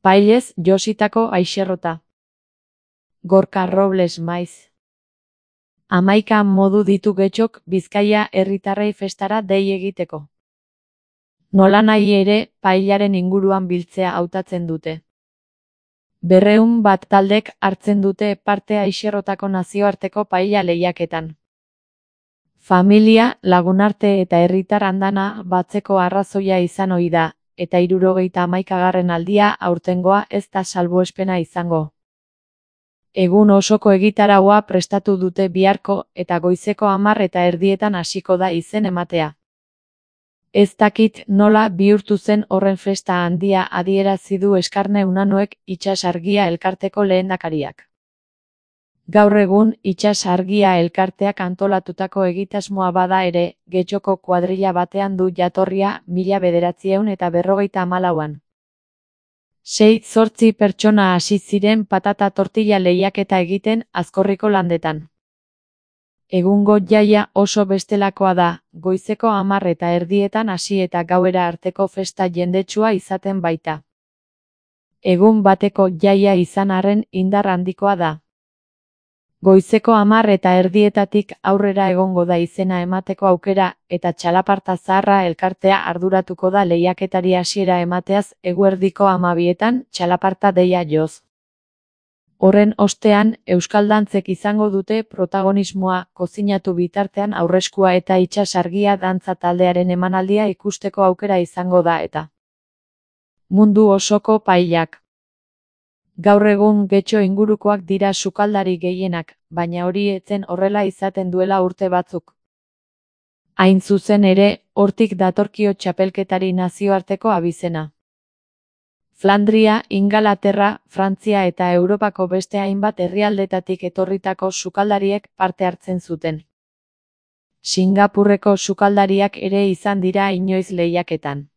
Pailez jositako aixerrota. Gorka Robles maiz. 11 modu ditu Getxok Bizkaia herritarrei festara dei egiteko. Nolanahi ere, pailaren inguruan biltzea hautatzen dute. 200 taldek hartzen dute parte aixerrotako nazioarteko paila lehiaketan. Familia, lagunarte eta herritar andana batzeko arrazoia izan ohi da, eta 71. aldia aurtengoa ez da salbuespena izango. Egun osoko egitaraua prestatu dute biharko eta goizeko 10:30 hasiko da izen ematea. Ez dakit nola bihurtu zen horren festa handia adierazi du Eskarne Unanuek Itsas Argia elkarteko lehendakariak. Gaur egun Itsas Argia elkarteak antolatutako egitasmoa bada ere, Getxoko kuadrilla batean du jatorria 1954an. 6-8 pertsona hasi ziren patata tortilla lehiaketa egiten Azkorriko landetan. Egungo jaia oso bestelakoa da, goizeko 10:30 hasi eta gauera arteko festa jendetsua izaten baita. Egun bateko jaia izan arren indar handikoa da. Goizeko 10:30 aurrera egongo da izena emateko aukera eta Txalaparta Zaharra elkartea arduratuko da lehiaketari hasiera emateaz eguerdiko 12etan txalaparta deia joz. Horren ostean, euskaldantzek izango dute protagonismoa kozinatu bitartean aurreskua eta Itsas Argia dantza taldearen emanaldia ikusteko aukera izango da eta mundu osoko pailak. Gaur egun Getxo ingurukoak dira sukaldari gehienak, baina hori etzen horrela izaten duela urte batzuk. Hain zuzen ere, hortik datorkio txapelketari nazioarteko abizena. Flandria, Ingalaterra, Frantzia eta Europako beste hainbat herrialdetatik etorritako sukaldariek parte hartzen zuten. Singapurreko sukaldariak ere izan dira inoiz lehiaketan.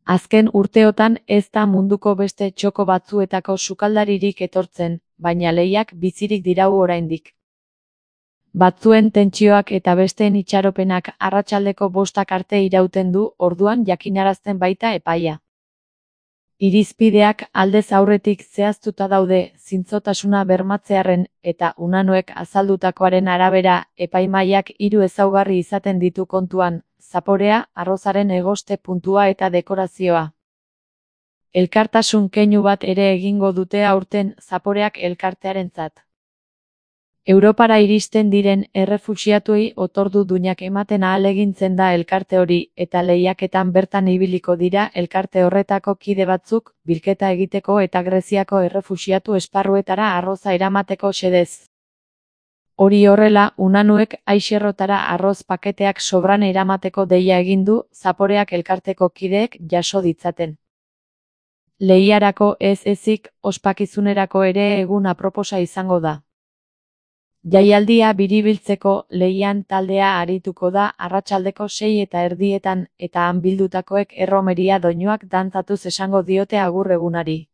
Azken urteotan ez da munduko beste txoko batzuetako sukaldaririk etortzen, baina lehiak bizirik dirau oraindik. Batzuen tentsioak eta besteen itxaropenak arratsaldeko 5 arte irauten du, orduan jakinarazten baita epaia. Irizpideak aldez aurretik zehaztuta daude zintzotasuna bermatzearren eta Unanuek azaldutakoaren arabera epaimahaiak 3 ezaugarri izaten ditu kontuan, zaporea, arrozaren egoste puntua eta dekorazioa. Elkartasun keinu bat ere egingo dute aurten zaporeak elkartearentzat. Europara iristen diren errefuxiatuei otordu duinak ematen ahalegintzen da elkarte hori eta lehiaketan bertan ibiliko dira elkarte horretako kide batzuk, bilketa egiteko eta Greziako errefuxiatu esparruetara arroza eramateko xedez. Hori horrela, Unanuek aixerrotara arroz paketeak sobran eramateko deia egin du, zaporeak elkarteko kideek jaso ditzaten. Lehiarako ez ezik, ospakizunerako ere egun aproposa izango da. Jaialdia biribiltzeko lehian taldea arituko da arratsaldeko 6:30 eta han bildutakoek erromeria doinuak dantzatuz esango diote agur egunari.